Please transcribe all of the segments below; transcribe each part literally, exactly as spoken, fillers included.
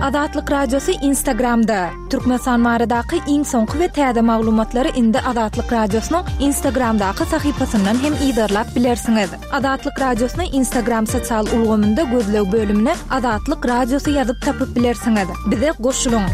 Azatlyk Radiosy Instagramda. Türkmenistan baradaky iň soňky we täze maglumatlary indi Azatlyk Radiosynyň Instagramdaky sahypasyndan hem yzarlap bilersiňiz. Azatlyk Radiosyny Instagram sosial ulgamynda gözleg bölümine Azatlyk Radiosy ýazyp tapyp bilersiňiz. Bize goşulyň.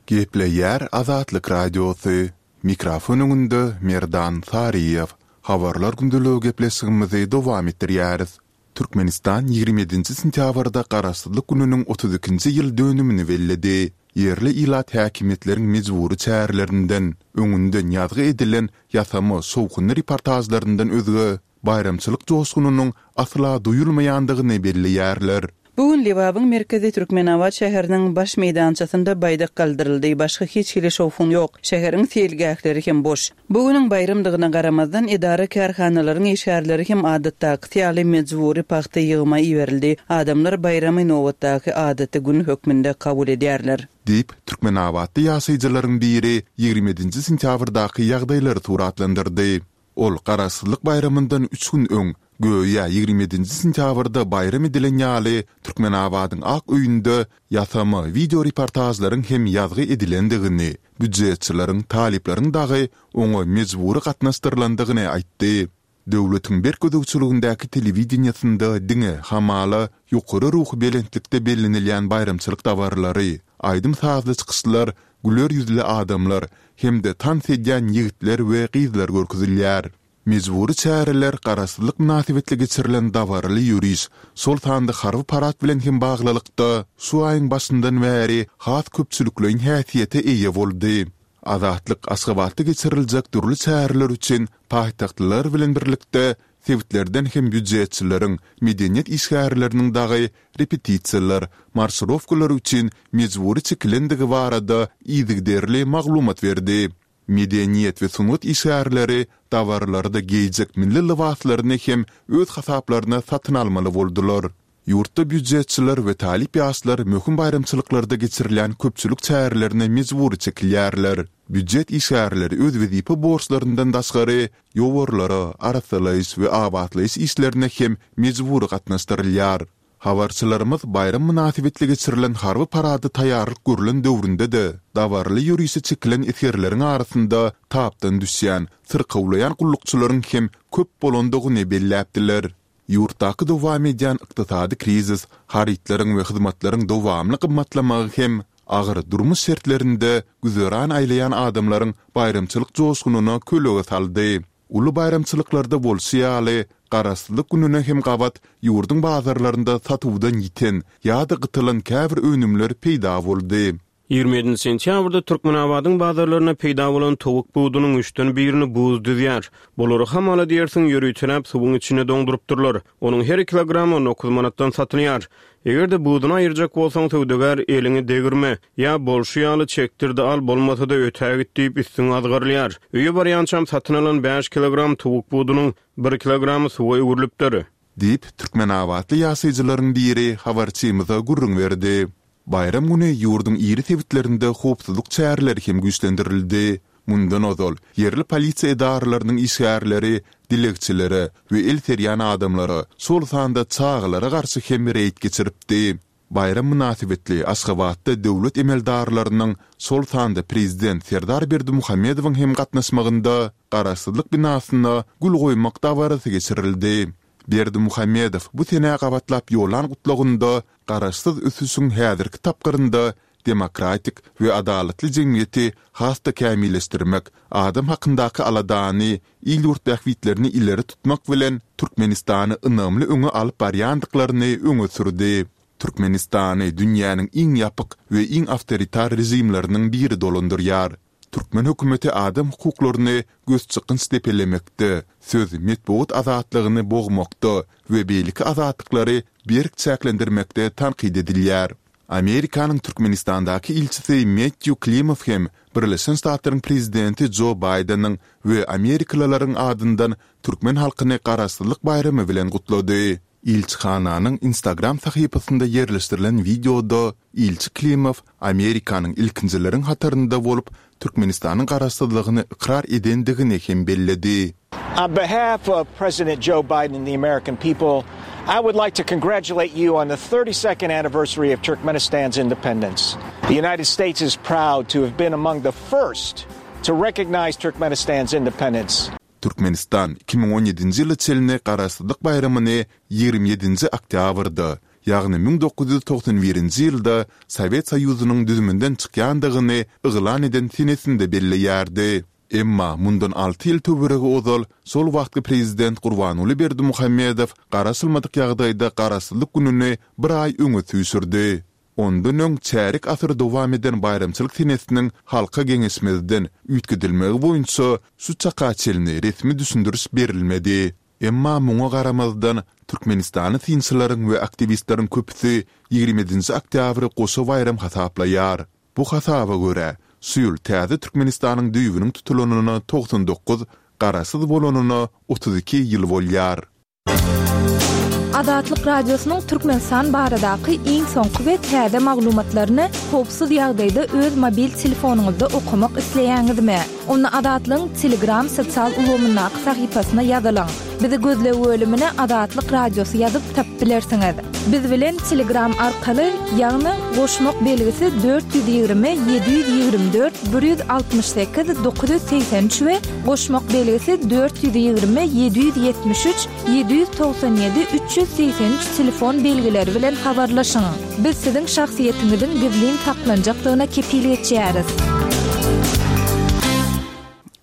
Gepleýär Azatlyk Radiosy. Mikrofon öňünde Merdan Saryýew. Habarlar gündeligi gepleşigimizi dowam etdirýäris. Türkmenistan ýigrimi ýedinji sentýabrda Garaşsyzlyk gününiň otuz ikinji ýyl dönümini belledi. Ýerli ilat häkimiýetleriň mejbury çärelerinden, öňünden ýazgy edilen ýasama şowhunly reportažlaryndan özge, baýramçylyk joşgunynyň asla duýulmaýandygyny belleýärler. Bu gün Lebabyň merkezi Türkmenabat şäheriniň baş meýdançasynda baýdak galdyryldy, başga hiç hili şowhun ýok. Şäheriň seýilgähleri hem boş. Bu günüň baýramdygyna garamazdan, edara-kärhanalaryň işgärleri hem adatdakysy ýaly mejbury pagta ýygyma iberildi. Adamlar baýramy nobatdaky adaty gün hökmünde kabul edýärler. Diýip, türkmenabatly ýaşaýjylaryň biri ýigrimi ýedinji sentýabrdaky ýagdaýlary suratlandyrdy. Ol Garaşsyzlyk baýramyndan üç gün öň, göýä ýigrimi ýedinji sentýabrda baýram edilen ýaly, Türkmenabadyň Ak öýünde ýasama wideoreportažlaryň hem ýazgy edilendigini, býujetçileriň, talyplaryň dagy oňa mejbury gatnaşdyrylandygyny aýtdy. Döwletiň berk gözegçiligindäki telewideniýesinde diňe, hamala, ýokary ruhubelentlikde bellenilýän baýramçylyk dabaralary, aýdym-sazly çykyşlar, güler ýüzli adamlar hem-de tans edýän ýigitler we gyzlar görkezilýär. Mejbury çäreler Garaşsyzlyk mynasybetli geçirilen dabaraly ýöriş, şol sanda harby parad bilen hem baglylykda, şu aýyň başyndan bäri has köpçülikleýin häsiýete eýe boldy. Azatlyk Aşgabatda geçiriljek dürli çäreler üçin paýtagtlylar bilen birlikde sebitlerden hem býujetçileriň, medeniýet işgärleriniň dagy repetisiýalar, marşirowkalar üçin mejbury çekilendigi barada yzygiderli maglumat berdi. Medeniýet we sungat işgärleri dabaralarda geýjek milli lybaslaryny hem öz hasaplaryna satyn almaly boldular. Ýurtda býujetçiler we talyp ýaşlar möhüm baýramçylyklarda geçirilýän köpçülik çärelerine mejbury çekilýärler. Býujet işgärleri öz wezipe borçlaryndan daşgary ýowarlara, arassalaýyş we abatlaýyş işlerine hem mejbury gatnaşdyrylýar. Habarçylarymyz baýram mynasybetli geçirilen harby parada taýýarlyk görlen döwründe-de, dabaraly ýörişe çekilen esgerleriň arasynda tapdan düşýän, syrkawlaýan gullukçylaryň hem köp bolandygyny belläpdiler. Ýurtdaky dowam edýän ykdysady krizis, harytlaryň we hyzmatlaryň dowamly gymmatlamagy hem agyr durmuş şertlerinde güzeran aýlaýan adamlaryň baýramçylyk joşgunyna kölege saldy. Uly baýramçylyklarda bolşy ýaly, Garaşsyzlyk gününe hem gabat ýurduň bazarlarynda satuwdan ýiten ýa-da gytylan käbir önümler peýda boldy. Ýigrimi ýedinji sentýabrda Türkmenabadyň bazarlarynda peýda bolan towuk budunyň üçden birini buz düzýär. Bulary hamala diýersiň ýöriteläp suwuň içinde doňdurypdyrlar. Onuň her kilogramy on dokuz manatdan satylýar. Eger-de buduny aýyrjak bolsaň, söwdagär eliňi degirme, ýa bolşy ýaly çekdir-de al, bolmasa-da ötägit diýip üstüňe azgyrylýar. Öýe barýançam satyn alan bäş kilogram towuk budunyň bir kilogramy suwa öwrülipdir. Diýip, türkmenabatly ýaşaýjylaryň biri habarçymyza gürrüň berdi. Baýram güni ýurduň iri sebitlerinde howpsuzlyk çäreleri hem güýçlendirildi. Mundan ozal, ýerli polisiýa edaralarynyň işgärleri dilegçilere we el serýän adamlara, şol sanda çagalara garşy hem reýd geçiripdi. Baýram mynasybetli Aşgabatda döwlet emeldarlarynyň, şol sanda prezident Serdar Berdimuhamedowyň hem gatnaşmagynda Garaşsyzlyk binasyna gül goýmak dabarasy geçirildi. Berdimuhamedow bu senä gabatlap ýollan gutlagynda garaşsyz ösüşiň häzirki tapgyrynda demokratik we adalatly jemgyýeti has-da kämilleşdirmek, adam hakyndaky aladany, il-ýurt bähbitlerini ileri tutmak bilen, Türkmenistany ynamly öňe alyp barýandyklaryny öňe sürdi. Türkmenistany dünýäniň iň ýapyk we iň awtoritar režimleriniň biri dolandyrýar. Türkmen hökümeti adam hukuklaryny gözçykgynç depelemekde, söz, metbugat azatlygyny bogmakda we beýleki azatlyklary berk çäklendirmekde tankyt edilýär. Amerikanyň Türkmenistandaky ilçisi Mettýu Klimow hem Birleşen Ştatlaryň prezidenti Jo Baýdeniň we amerikalylaryň adyndan türkmen halkyny Garaşsyzlyk baýramy bilen gutlady. Ilçihananyň Instagram sahypasynda ýerleşdirilen wideoda ilçi Klimow Amerikanyň ilkinjileriň hatarynda bolup Türkmenistanyň garaşsyzlygyny ykrar edendigini hem belledi. On behalf of President Joe Biden and the American people, I would like to congratulate you on the thirty-second anniversary of Turkmenistan's independence. The United States is proud to have been among the first to recognize Turkmenistan's independence. Türkmenistan iki müň on ýedinji ýyla çenli Garaşsyzlyk baýramyny ýigrimi ýedinji oktýabrda, ýagny müň dokuz ýüz togsan birinji ýylda Sowet Soýuzynyň düzüminden çykýandygyny yglan eden senesinde belleýärdi. Emma mundan alty ýyl töweregi ozal şol wagtky prezident Gurbanguly Berdimuhamedow garaşylmadyk ýagdaýda Garaşsyzlyk gününi bir aý öňe süýşürdi. Ondan öň çärýek asyr dowam eden baýramçylyk senesiniň halka geňeşmezden üýtgedilmegi boýunça şu çaka çenli resmi düşündiriş berilmedi. Emma muňa garamazdan Türkmenistany synçylaryň we aktiwistleriň köpüsi ýigrimi ýedinji oktýabry goşa baýram hasaplaýar. Bu hasaba görä, şu ýyl täze Türkmenistanyň düýbüniň tutulanyna togsan dokuz, garaşsyz bolanyna otuz iki ýyl bolýar. Azatlyk Radiosynyň Türkmenistan baradaky iň soňky we täze maglumatlaryny howpsuz ýagdaýda öz mobil telefonyňyzda okamak isleýäňizmi? Onda Azatlygyň Telegram sosial ulgamyndaky sahypasyna ýazylyň. Bizi gözleg bölümine Azatlyk Radiosy ýazyp tapyp bilersiňiz. Biz bilen Telegram arkaly, ýagny goşmak belgisi dört ýüz ýigrimi, ýedi ýüz ýigrimi dört, bir ýüz altmyş sekiz, dokuz ýüz segsen üç we goşmak belgisi dört ýüz ýigrimi, ýedi ýüz ýetmiş üç, ýedi ýüz togsan ýedi, üç ýüz segsen üç telefon belgileri bilen habarlaşyň. Biz siziň şahsyýetiňiziň gizlin saklanjakdygyna kepil geçýäris.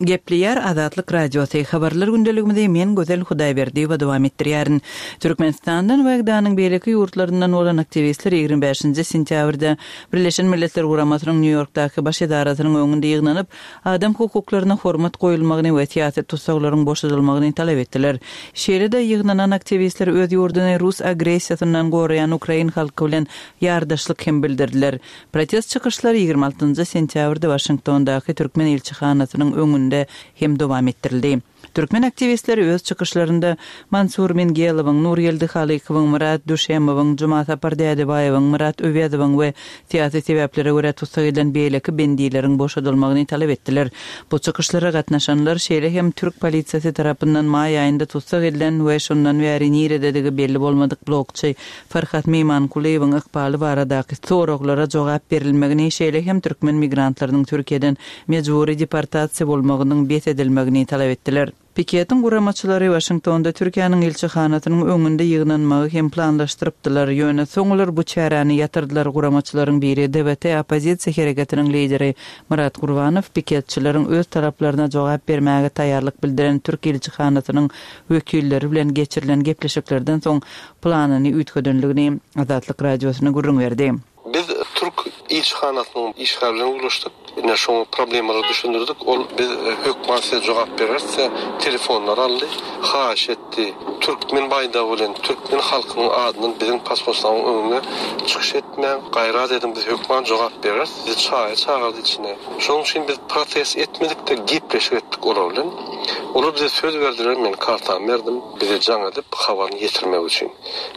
Gepleýär Azatlyk Radiosy habarlar gündeligimizi men Gözel Hudaýberdiýewa dowam etdirýärin. Türkmenistandan we G D A'nyň beýleki ýurtlaryndan bolan aktiwistler ýigrimi bäşinji sentýabrda Birleşen Milletler Guramasynyň Nýu-Ýorkdaky baş edarasynyň öňünde ýygnanyp, adam hukuklaryna hormat goýulmagyny we syýasy tussaglaryň boşadylmagyny talap etdiler. Şeýle-de ýygnanan aktiwistler öz ýurduny rus agressiýasyndan goraýan ukrain halky bilen ýardaşlyk hem bildirdiler. Protest çykyşlary ýigrimi altynjy sentýabrda Waşingtondaky Türkmen ilçihanasynyň öňünde hem dowam etdirildi. Türkmen aktiwistleri öz çykyşlarynda Mansur Mingelowyň, Nurgeldi Halykowyň, Murat Düşemowyň, Juma Sapar Dädebaýewiň, Murat Öwezowyň we syýasy sebäplere görä tussag edilen beýleki bendileriň boşadylmagyny talap etdiler. Bu çykyşlara gatnaşanlar şeýle hem türk polisiýasy tarapyndan maý aýynda tussag edilen we şondan bäri nirededigi belli bolmadyk blogçy Farhat Meymankulyýewiň ykbaly baradaky soraglara jogap berilmegini, şeýle hem türkmen migrantlarynyň Türkiýeden mejbury deportasiýa bolmagynyň bes edilmegini talap etdiler. Piketiň guramaçylary Waşingtonda Türkiýäniň ilçihanasynyň öňünde ýygnanmagy hem planlaşdyrypdylar. Ýöne soň olar bu çäräni ýatyrdylar. Guramaçylaryň biri D V T oppozisiýa hereketiniň lideri Murat Gurbanow piketçileriň öz taraplaryna jogap bermäge taýýarlyk bildiren Türk ilçihanasynyň wekilleri bilen geçirilen gepleşiklerden soň planyny üýtgedenligini Azatlyk Radiosyna gürrüň berdi. Biz Türk ilçihanasynyň işgärlerine ulaşdyk. Ine şoň problemalary düşündirdik. Ol biz hökman size jogap bererse telefonlar aldy, haýyş etdi. Türkmen baýdagy bilen türkmen halkynyň adyndan biziň pasportlaryň öňüne çykyş etmäň, gaýrat edin, biz hökman jogap bereris. Bizi çaýa çagyrdy içine. Şonuň üçin biz protest etmedik de gepleşik etdik olar bilen. Olar bize söz berdiler, men kartamy berdim, bize jaň edip habaryny ýetirmek üçin.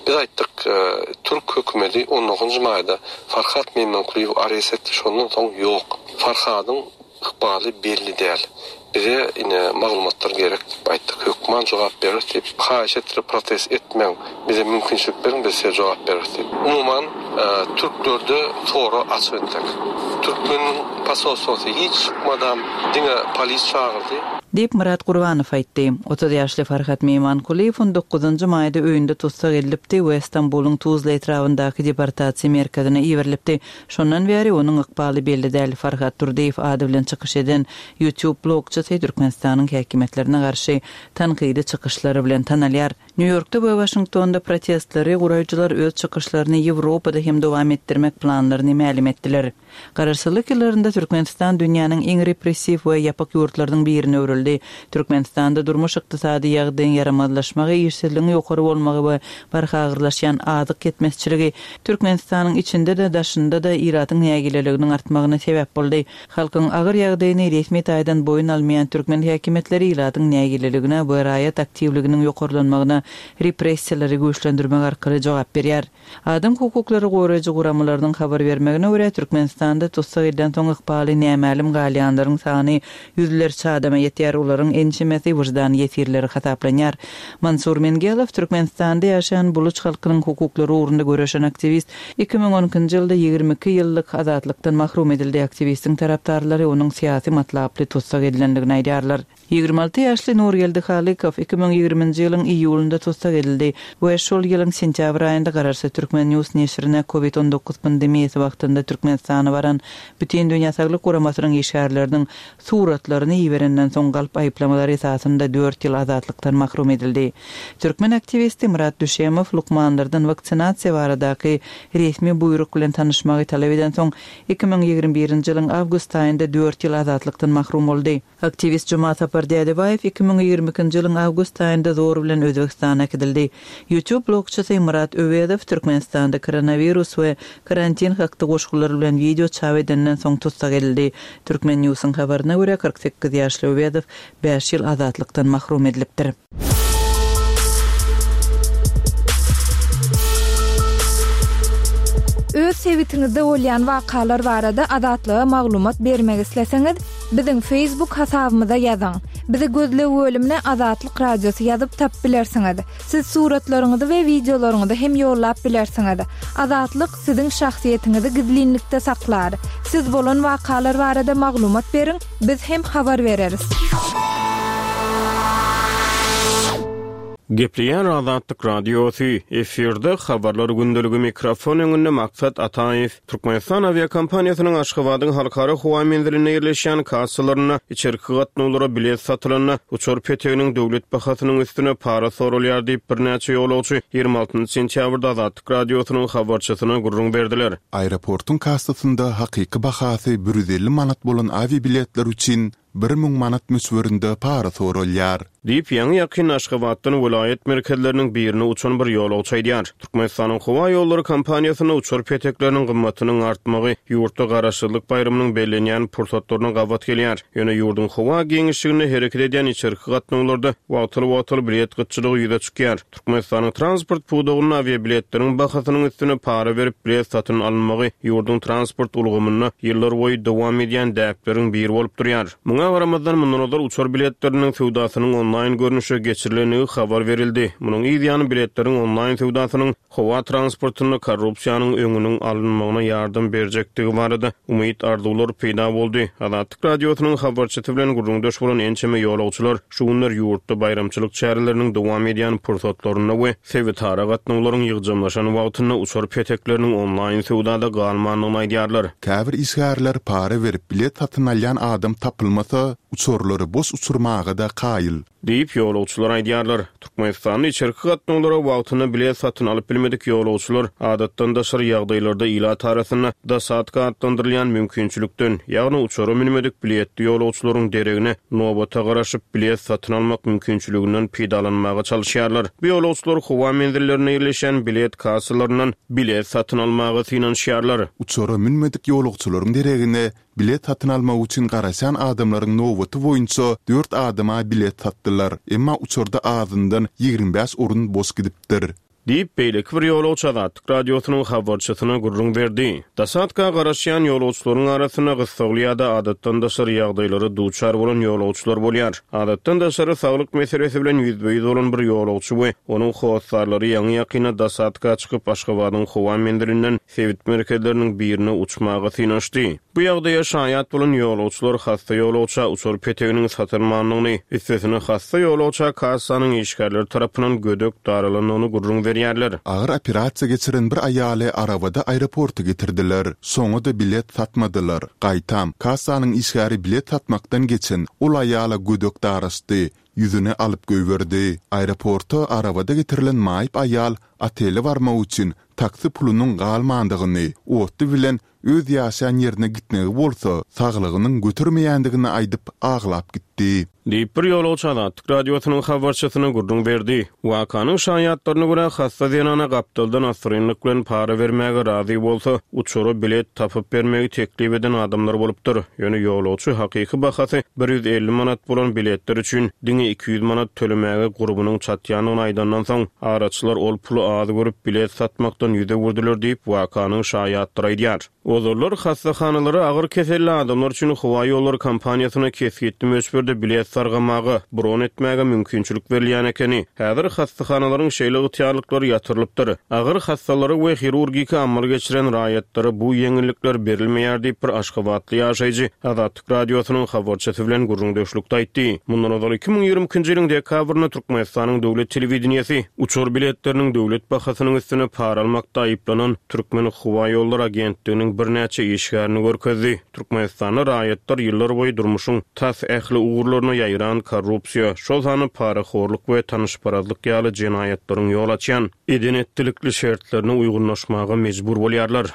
Biz aýtdyk, e, Türk hökümeti on dokuzynjy maýda Farhat Meymankulyýew arrest etdi, şondan soň ýok. Farhadyň ykbaly belli däl. Bize ine maglumatlar gerek diýip aýtdyk. Hökman jogap berer diýip, haýyş etdirip protest etmäň. Bize mümkinçilik beriň, biz size jogap bereris diýip. Umuman, e, türklerde soru açyk etdik. Türkmen pasolstwosy hiç çykmadan diňe polis çagyrdy. Diýip Murat Gurbanow aýtdy. Otuz ýaşly Farhat Meymankulyýew on dokuzynjy maýda öýünde tussag edilipdi we Stambulyň Tuzla etrabyndaky deportasiýa merkezine iberilipdi. Şondan bäri onuň ykbaly belli däl. Farhat Durdyýew ady bilen çykyş eden YouTube blogçysy Türkmenistanyň häkimiýetlerine garşy tankydy çykyşlary bilen tanalýar. Nýu-Ýorkda we Waşingtonda protestleri guraýjylar öz çykyşlaryny Ýewropada hem dowam etdirmek planlaryny mälim etdiler. Garaşsyzlyk ýyllarynda Türkmenistan dünýäniň iň repressiw we ýapyk ýurtlarynyň birine öwrüldi. Türkmenistanda durmuş ykdysady ýagdaýyň ýaramazlaşmagy, işsizligiň ýokary bolmagy we barha agyrlaşýan azyk ýetmezçiligi Türkmenistanyň içinde-de daşynda-da ilatyň nägileliginiň artmagyna sebäp boldy. Halkyň agyr ýagdaýyny resmi taýdan boýun almaýan türkmen häkimiýetleri ilatyň nägileligine we raýat aktiwliginiň ýokarlanmagyna repressiýalary güýçlendirmek arkaly jogap berýär. Adam hukuklary goraýjy guramalarynyň habar bermegine görä Türkmenistanda tussag edilen soň ykbaly nämälim galýanlaryň sany ýüzlerçe adama ýetýär. edilýär, olaryň ençemesi wyždan ýesirleri hasaplanýar. Mansur Mengelow Türkmenistanda ýaşaýan buluç halkynyň hukuklary ugrunda göreşen aktiwist iki müň on ikinji ýylda ýigrimi iki ýyllyk azatlykdan mahrum edildi. Aktiwistiň tarapdarlary onuň syýasy matlaply tussag edilendigini aýdýarlar. Ýigrimi alty ýaşly Nurgeldi Halykow iki müň ýigriminji ýylyň iýulynda tussag edildi we şol ýylyň sentýabr aýynda Garaşsyz Türkmen News neşirine Covid on dokuz pandemiýasy wagtynda Türkmenistana baran Bütindünýä Saglyk Guramasynyň işgärleriniň suratlaryny iberenden soň galp aýyplamalar esasynda dört ýyl azatlykdan mahrum edildi. Türkmen aktiwisti Myrat Düşemow lukmanlardan waksinasiýa baradaky resmi buýruk bilen tanyşmagy talap eden soň iki müň ýigrimi birinji ýylyň awgust aýynda dört ýyl azatlykdan mahrum boldy. Aktiwist Jumasapar Dädebaýew iki müň ýigrimi ikinji ýylyň awgust aýynda zor bilen Özbegistana äkidildi. YouTube blogçysy Myrat Öwezow Türkmenistanda koronawirus we karantin hakda goşgular bilen wideo çap edenden soň tussag edildi. Türkmen News'yň habaryna görä kyrk sekiz ýaşly Öwezow bäş ýyl azatlykdan mahrum edilipdir. Öz sebitiňizde bolýan wakalar barada Azatlyga maglumat bermek isleseňiz, biziň Facebook hasabymyza ýazyň. Bizi gözleg bölümine Azatlyk Radiosy ýazyp tap bilersiňiz. Siz suratlaryňyzy we wideolaryňyzy hem ýollap bilersiňiz. Azatlyk siziň şahsyýetiňizi gizlinlikde saklar. Siz bolan wakalar barada maglumat beriň, biz hem habar bereris. Gepleýän Azatlyk Radiosy, efirde habarlar gündeligi mikrofon öňünde Maksat Ataýew. Türkmenistan awiakompaniýasynyň Aşgabadyň halkara howa menzilinde ýerleşýän kassalarynda içerki gatnawlara bilet satylanda uçar peteginiň döwlet bahasynyň üstüne para sorulýar diýip birnäçe ýolagçy ýigrimi altynjy sentýabrda Azatlyk Radiosynyň habarçysyna gürrüň berdiler. Aeroportuň kassasynda hakyky bahasy bir ýüz elli manat bolan awiabiletler üçin bir müň manat möçberinde para sorulýar. Diýip, ýaňy ýakyn Aşgabatdan welaýat merkezleriniň birine uçan bir ýolagçy aýdýar. Türkmenistanyň howa ýollary kompaniýasyna uçar petekleriniň gymmatynyň artmagy ýurtda garaşsyzlyk baýramynyň bellenýän pursatlaryna gabat gelýär. Ýöne ýurduň howa giňişliginde hereket edýän içerki gatnawlarda wagtal-wagtal bilet gytçylygy ýüze çykýar. Türkmenistanyň transport pudagynda awiabiletleriň bahasynyň üstüne para berip bilet satyn alynmagy ýurduň transport ulgamynda ýyllar boýy dowam edýän däpleriň biri bolup durýar. Muňa garamazdan mundan ozal uçar biletleriniň söwdasynyň onlaýn görnüşe geçirilendigi habar berildi. Munuň yz ýany biletleriň onlaýn söwdasynyň howa transportynda korrupsiýanyň öňüniň alynmagyna ýardam berjekdigi barada umyt arzuwlar peýda boldy. Azatlyk Radiosynyň habarçysy bilen gürrüňdeş bolan ençeme ýolagçylar şu günler ýurtda baýramçylyk çäreleriniň dowam edýän pursatlarynda we sebitara gatnawlaryň ýygjamlaşan wagtynda uçar petekleriniň onlaýn söwdada galmandygyny aýdýarlar. Käbir işgärler para berip bilet satyn alýan adam tapylmasa, uçarlary boş uçurmaga da kaýyl. Diýip ýolagçylar aýdýarlar. Türkmenistanda içerki gatnawlara wagtynda bilet satyn alyp bilmedik ýolagçylar adatdan daşary ýagdaýlarda ilat arasynda dosadka atlandyrylýan mümkinçilikden, ýagny uçara münmedik biletli ýolagçylaryň deregine nobata garaşyp bilet satyn almak mümkinçiliginden peýdalanmaga çalyşýarlar. Bu ýolagçylar howa menzillerine ýerleşen bilet kassalaryndan bilet satyn almaga synanyşýarlar. Uçara münmedik ýolagçylaryň deregine bilet satyn almak üçin garaşan adamlaryň nobaty boýunça dört adama bilet satdylar. Emma uçarda azyndan ýigrimi bäş orun boş gidipdir. Diýip, beýleki bir ýolagçy Azatlyk Radiosynyň habarçysyna gürrüň berdi. Dosadka garaşýan ýolagçylaryň arasynda gyssagly ýa-da adatdan daşary ýagdaýlara duçar bolan ýolagçylar bolýar. Adatdan daşary saglyk meselesi bilen ýüzbe-ýüz bolan bir ýolagçy we onuň hossarlary ýaňy ýakyna dosadka çykyp Aşgabadyň howa menzilinden sebit merkezleriniň birine uçmaga synanyşdy. Bu ýagdaýa şaýat bolan ýolagçylar hassa ýolagça uçar peteginiň satylmandygyny, üstesine hassa ýolagça kassanyň işgärleri tarapyndan gödek daralandygyny gürrüň berýärler. Agyr operasiýa geçiren bir aýaly arabada aeroporta getirdiler. Soňa da bilet satmadylar. Gaýtam, kassanyň işgäri bilet satmakdan geçen ol aýala gödek daraşdy, ýüzüni alyp goýberdi. Aeroporta arabada getirilen maýyp aýal otele barmak üçin taksi pulunyň galmandygyny, otly bilen öz ýaşaýan ýerine gitmegi bolsa, saglygynyň götermeýändigini aýdyp aglap gitdi. Diýip bir ýolagçy Azatlyk Radiosynyň habarçysyna gürrüň berdi. Wakanyň şaýatlaryna görä hassa zenana gapdaldan asyrynlyk bilen para bermäge razy bolsa, uçara bilet tapyp bermegi teklip eden adamlar bolupdyr. Ýöne ýolagçy hakyky bahasy bir ýüz elli manat bolan biletler üçin diňe iki ýüz manat tölemäge gurbunyň çatýandygyny aýdandan soň, araçylar ol puly az görüp bilet satmakdan ýüz öwürdiler diýip wakanyň şaýatlary aýdýar. Ozallar hassahanalara agyr keselli adamlar üçin howa ýollary kompaniýasyna kesgitli möçberde bilet sargamaga, bron etmäge mümkinçilik berilýän ekeni. Häzir hassahanalaryň şeýle ygtyýarlyklary ýatyrylypdyr. Agyr hassalara we hirurgiki amal geçiren raýatlara bu ýeňillikler berilmeýär diýip bir aşgabatly ýaşaýjy Azatlyk Radiosynyň habarçysy bilen gürrüňdeşlikde aýtdy. Mundan ozal iki müň ýigrimi ikinji ýylyň dekabrynda Türkmenistanyň döwlet telewideniýesi uçar biletleriniň döwlet bahasynyň üstüne para almakda aýyplanan Türkmen howa ýollary agentliginiň birnäçe işgärini görkezdi. Türkmenistanda raýatlar ýyllar boýy durmuşyň tas ähli ugurlaryna ýaýran korrupsiýa, şol sanda parahorluk we tanyşparazlyk ýaly jenaýatlaryň ýol açýan eden-etdilikli şertlerine uýgunlaşmaga mejbur bolýarlar.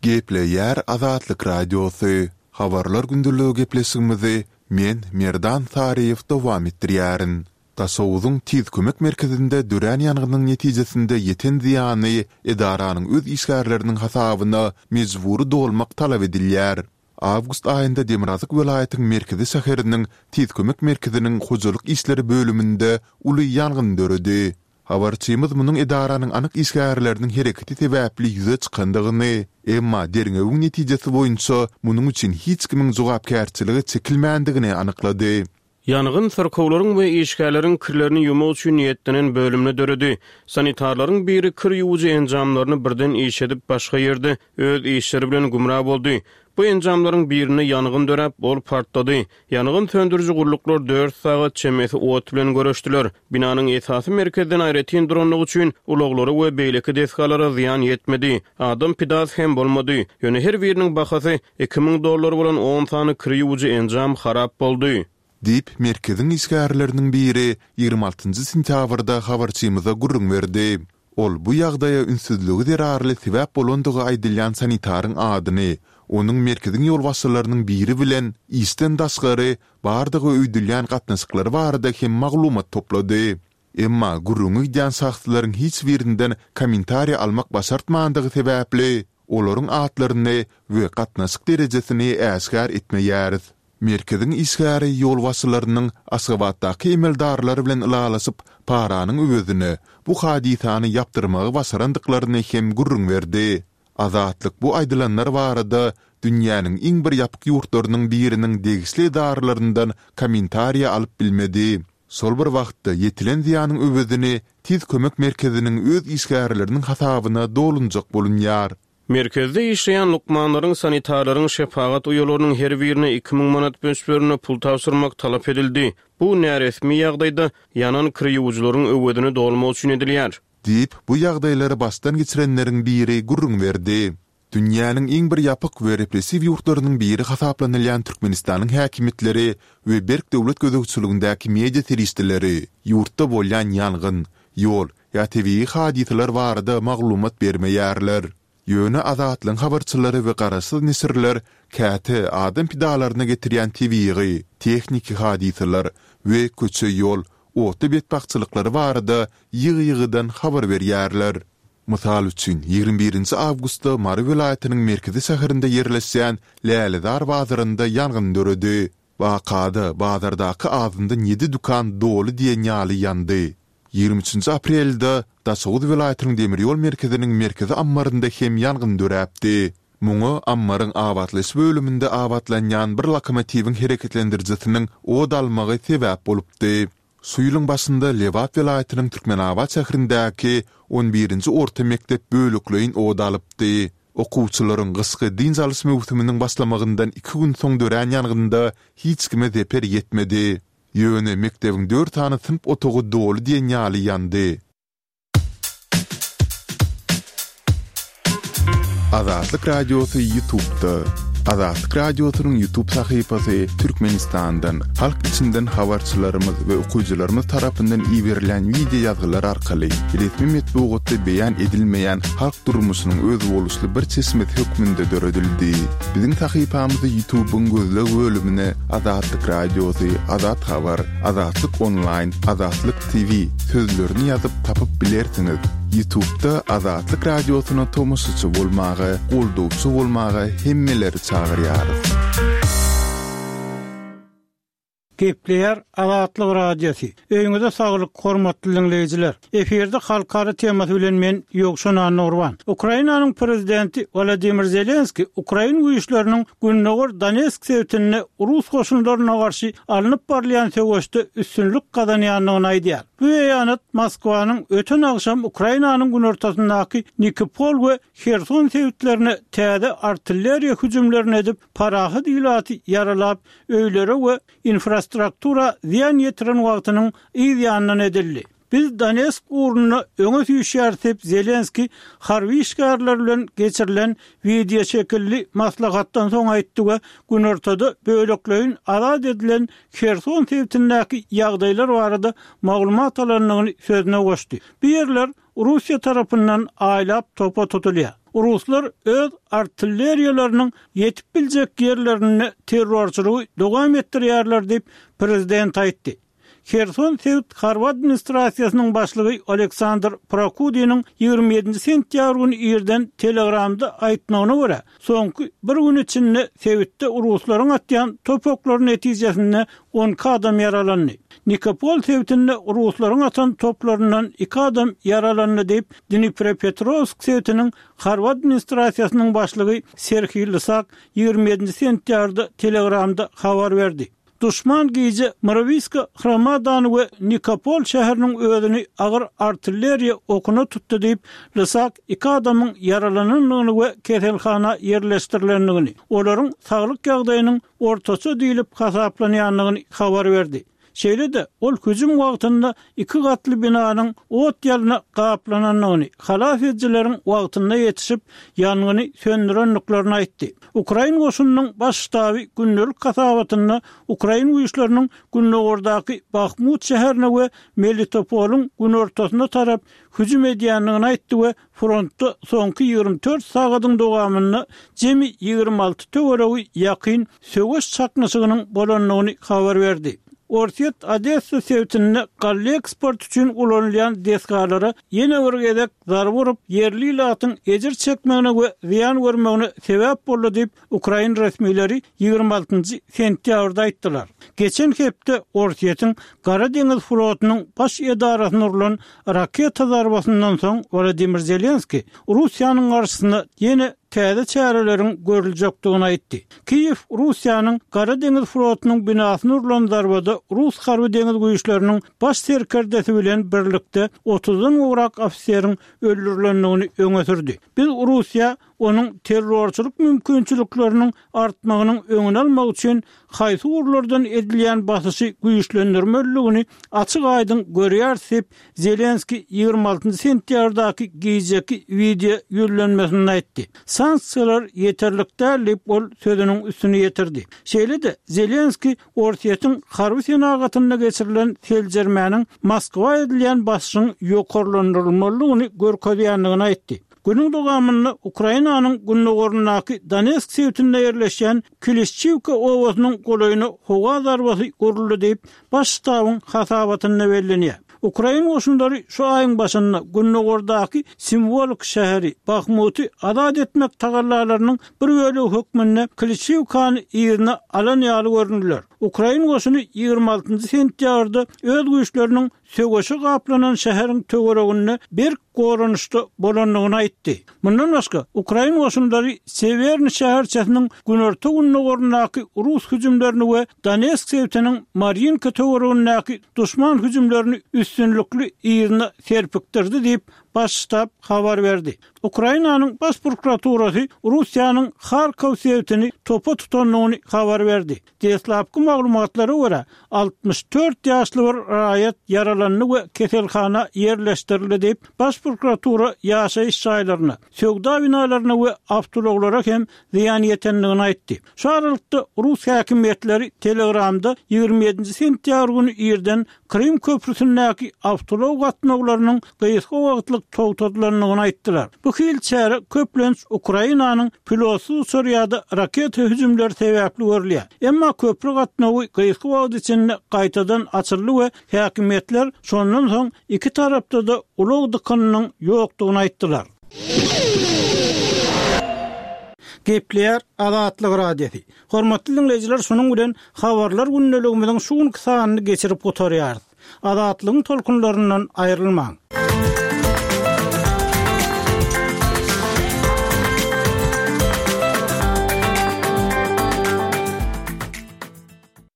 Gepleýär Azatlyk Radiosy, Habarlar gündeligi gepleşigimizi men, Merdan Saryýew dowam etdirýärin. Daşoguzyň Tiz kömek merkezinde dörän ýangynyň netijesinde ýeten zyýany edaranyň öz işgärleriniň hasabyna mejbury dolmak talap edilýär. Awgust aýynda demirgazyk welaýatyň merkezi şäheriniň Tiz kömek merkeziniň hojalyk işleri bölüminde uly ýangyn döredi. Habarçymyz munuň edaranyň anyk işgärleriniň hereketi sebäpli ýüze çykandygyny, emma derňewiň netijesi boýunça munuň üçin hiç kimiň jogapkärçilige çekilmändigini anyklady. Ýangyn syrkawlaryň we işgärleriň kirlerini ýuwmak üçin niýetlenen bölümde döredi. Sanitarlaryň biri kir ýuwujy enjamlaryny birden işledip, başga ýerde öz işleri bilen gümra boldy. Bu enjamlaryň birinde ýangyn döräp, ol partlady. Ýangyn söndüriji gulluklar dört sagat çemesi ot bilen göreşdiler. Binanyň esasy merkezden aýratyn duranlygy üçin ulaglara we beýleki desgalara zyýan ýetmedi. Adam pidasy hem bolmady. Ýöne her biriniň bahasy iki müň dollar bolan on sany kir ýuwujy enjam harap boldy. Diýip, merkeziň işgärleriniň biri ýigrimi altynjy sentýabrda habarçymyza gürrüň berdi. Ol bu ýagdaýa ünssüzligi zerarly sebäp bolandygy aýdylýan sanitaryň adyny, onuň merkeziň ýolbaşçylarynyň biri bilen işden daşgary bardygy öýdülýän gatnaşyklary barada hem maglumat toplady. Emma gürrüňi gidýän şahslaryň hiç birinden kommentariý almak başartmandygy sebäpli, olaryň atlaryny we gatnaşyk derejesini äşgär etmeýäris. Merkeziň işgäri ýolbaşçylarynyň Aşgabatdaky emeldarlar bilen ylalaşyp, paranyň öwezine bu hadysany ýapdyrmagy başarandyklaryny hem gürrüň berdi. Azatlyk bu aýdylanlar barada dünýäniň iň bir ýapyk ýurtlarynyň biriniň degişli edaralaryndan kommentariýa alyp bilmedi. Şol bir wagtda ýetilen zyýanyň öwezini Tiz kömek merkeziniň öz işgärleriniň hasabyna dolunjak bolunýar. Merkezde işleýän lukmanlaryň, sanitarlaryň, şepagat uýalarynyň her birine iki müň manat möçberinde pul tabşyrmak talap edildi. Bu näresmi ýagdaýda ýanan kir ýuwujylaryň öwezini dolmak üçin edilýär. Diýip, bu ýagdaýlary başdan geçirenleriň biri gürrüň berdi. Dünýäniň iň bir ýapyk we repressiw ýurtlarynyň biri hasaplanylýan Türkmenistanyň häkimiýetleri we berk döwlet gözegçiligindäki media serişdeleri ýurtda bolýan ýangyn, ýol ýa tebigy hadysalar barada maglumat bermeýärler. Ýöne Azatlygyň habarçylary we garaşsyz neşirler käte adam pidalaryna getirýän tebigy, tehniki hadysalar we köçe-ýol, otly betbagtçylyklary barada ýygy-ýygydan habar berýärler. Mysal üçin, ýigrimi birinji awgustda Mary welaýatynyň merkezi şäherinde ýerleşýän Lälezar bazarynda ýangyn döredi. Wakada bazardaky azyndan ýedi dükan doly diýen ýaly ýandy. Ýigrimi üçünji aprelde Daşoguz welaýatynyň demir ýol merkeziniň merkezi ammarynda hem ýangyn döräpdi. Muňa ammaryň abatlaýyş bölüminde abatlanýan bir lokomotiwiň hereketlendirijisiniň ot almagy sebäp bolupdy. Şu ýylyň başynda Lebap welaýatynyň Türkmenabat şäherindäki on birinji orta mekdep bölekleýin ot alypdy. Okuwçylaryň gyşky dynç alyş möwsüminiň başlamagyndan iki gün soň dörän ýangynda hiç kime zeper ýetmedi. Ýöne mekdebiň dört sany synp otagy doly diýen ýaly ýandy. Azatlyk Radiosy YouTube'da. Azatlyk Radiosynyň YouTube sahypasy Türkmenistandan, halk içinden habarçylarymyz we okyjylarymyz tarapyndan iberilýän wideo ýazgylar arkaly resmi metbugatda beýan edilmeýän halk durmuşynyň özboluşly bir çeşmesi hökmünde döredildi. Biziň sahypamyzy YouTube-yň gözleg bölümine Azatlyk Radiosy, Azat Habar, Azatlyk Onlaýn, Azatlyk T V sözlerini ýazyp tapyp bilersiňiz. Ýutubda Azatlyk Radiosyna tomaşaçy bolmaga, goldawçy bolmaga hemmeleri çagyrýarys. Gepleýär Azatlyk Radiosy. Öýüňize saglyk, hormatly diňleýjiler. Efirde halkara temasy bilen men Ýowşan Annagurban. Ukrainanyň prezidenti Wladimir Zelenski ukrain güýçleriniň Gündogar Donetsk sebitinde rus goşunlaryna garşy alnyp barylýan söweşde üstünlik gazanýandygyny aýdýar. Bu beýanat Moskwanyň öten agşam Ukrainanyň günortasyndaky Nikopol we Herson sebitlerine täze artilleriýa hüjümlerini edip, parahat ilaty ýaralap, öýlere we infrastruktura zyýan ýetiren wagtynyň yz ýanyndan edildi. Biz Donetsk ugrunda öňe süýşýäris diýip, Zelenskiý harby işgärler bilen geçirilen wideoşekilli maslahatdan soň aýtdy we günortada bölekleýin azat edilen Herson sebitindäki ýagdaýlar barada maglumat alandygyny sözüne goşdy. Bu ýerler Russiýa tarapyndan aýlap topa tutulýar. Ruslar öz artilleriýalarynyň ýetip biljek ýerlerinde terrorçylygy dowam etdirýärler diýip, prezident aýtdy. Herson sebit harby administrasiýasynyň başlygy Oleksandr Prokudiniň ýigrimi ýedinji sentýabr güni irden Telegramda aýtmagyna görä, soňky bir gün içinde sebitde ruslaryň atýan top oklary netijesinde on iki adam ýaralandy. Nikopol sebitinde ruslaryň atan toplaryndan iki adam ýaralandy diýip, Dniprepetrowsk sebitiniň harby administrasiýasynyň başlygy Serhiý Lysak ýigrimi ýedinji sentýabrda Telegramda habar berdi. Duşman gije Myrowiska Hromadany we Nikopol şäheriniň özüni agyr artilleriýa okuna tutdy diýip, Lysak iki adamyň ýaralanandygyny we keselhana ýerleşdirilendigini, olaryň saglyk ýagdaýynyň ortaça diýlip hasaplanýandygyny habar berdi. Şeýle-de, ol hüjüm wagtynda iki gatly binanyň ot-ýalna gaplanandygyny, halas edijileriň wagtynda ýetişip, ýangyny söndürendiklerini aýtdy. Ukrain goşunynyň Baş ştaby gündelik hasabatynda ukrain güýçleriniň gündogardaky Bahmut şäherine we Melitopolyň günortasyna tarap hüjüm edýändigini aýtdy we frontda soňky ýigrimi dört sagadyň dowamynda jemi ýigrimi alty töweregi ýakyn söweş çaknyşygynyň bolandygyny habar berdi. Orsýet Odessa sebitinde galla eksporty üçin ulanylýan desgalara ýene bir gezek zarba urup, ýerli ilatyň ejir çekmegine we zyýan görmegine sebäp boldy diýip, ukrain resmileri ýigrimi altynjy sentýabrda aýtdylar. Geçen hepde Orsýetiň Gara deňiz flotunyň baş edarasyna urlan raketa zarbasyndan soň Wladimir Zelenskiý Russiýanyň garşysyna ýene täze çäreleriň görüljekdigini aýtdy. Kiýew Russiýanyň Gara deňiz flotunyň binasyna urlan zarbada rus harby deňiz güýçleriniň baş serkerdesi bilen birlikde otuzdan gowrak ofiseriň öldürilendigini öňe sürdi. Biz Russiýa onuň terrorçylyk mümkinçilikleriniň artmagynyň öňüni almak üçin haýsy ugurlardan edilýän basyşy güýçlendirmelidigini açyk-aýdyň görýäris diýip, Zelenskiý ýigrimi altynjy sentýabrdaky gijeki wideo ýüzlenmesinde aýtdy. Sanksiýalar ýeterlik däl diýip, ol sözüniň üstüni ýetirdi. Şeýle-de, Zelenskiý Orsýetiň harby senagatynda geçirilen seljermäniň Moskwa edilýän basyşyň ýokarlandyrylmalydygyny görkezýändigini aýtdy. Günüň dowamynda Ukrainanyň gündogaryndaky Donetsk sebitinde ýerleşýän Klişçiwka obasynyň golaýyna howa zarbasy uruldy diýip, Baş ştabyň hasabatynda bellenýär. Ukrain goşunlary şu aýyň başynda gündogardaky simwolik şäheri Bahmuty azat etmek tagallalarynyň bir bölegi hökmünde Klişçiwkany yzyna alan ýaly göründiler. Ukrain goşuny ýigrimi altynjy sentýabrda öz güýçleriniň söweşe gaplanan şäheriň töwereginde berk goranyşda bolandygyny aýtdy. Mundan başga, ukrain goşunlary Sewerny şäherçesiniň günorta-gündogaryndaky rus hüjümlerini we Donetsk sebitiniň Marýinka töweregindäki duşman hüjümlerini üstünlikli yzyna serpikdirdi diýip, Baş ştab habar berdi. Ukrainanyň Baş prokuraturasy Russiýanyň Harkow sebitini topa tutandygyny habar berdi. Deslapky maglumatlara görä, altmyş dört ýaşly bir raýat ýaralandy we keselhana ýerleşdirildi diýip, Baş prokuratura ýaşaýyş jaýlaryna, söwda binalaryna we awtoulaglara hem zyýan ýetendigini aýtdy. Şu aralykda, rus häkimiýetleri Telegramda ýigrimi ýedinji sentýabr güni irden Krym köprüsindäki awtoulag gatnawlarynyň gysga wagtlyk togtadylandygyny aýtdylar. Bu hili çäre köplenç Ukrainanyň pilotsyz uçar ýa-da raketa hüjümleri sebäpli görülýär. Emma köpri gatnawy gysga wagt içinde gaýtadan açyldy we häkimiýetler şondan soň iki tarapda-da ulag dykynynyň ýokdugyny aýtdylar. Gepleýär Azatlyk Radiosy. Hormatly diňleýjiler, şunuň bilen habarlar gündeligimiziň şu günki sanyny geçirip gutarýarys. Azatlygyň tolkunlaryndan aýrylmaň.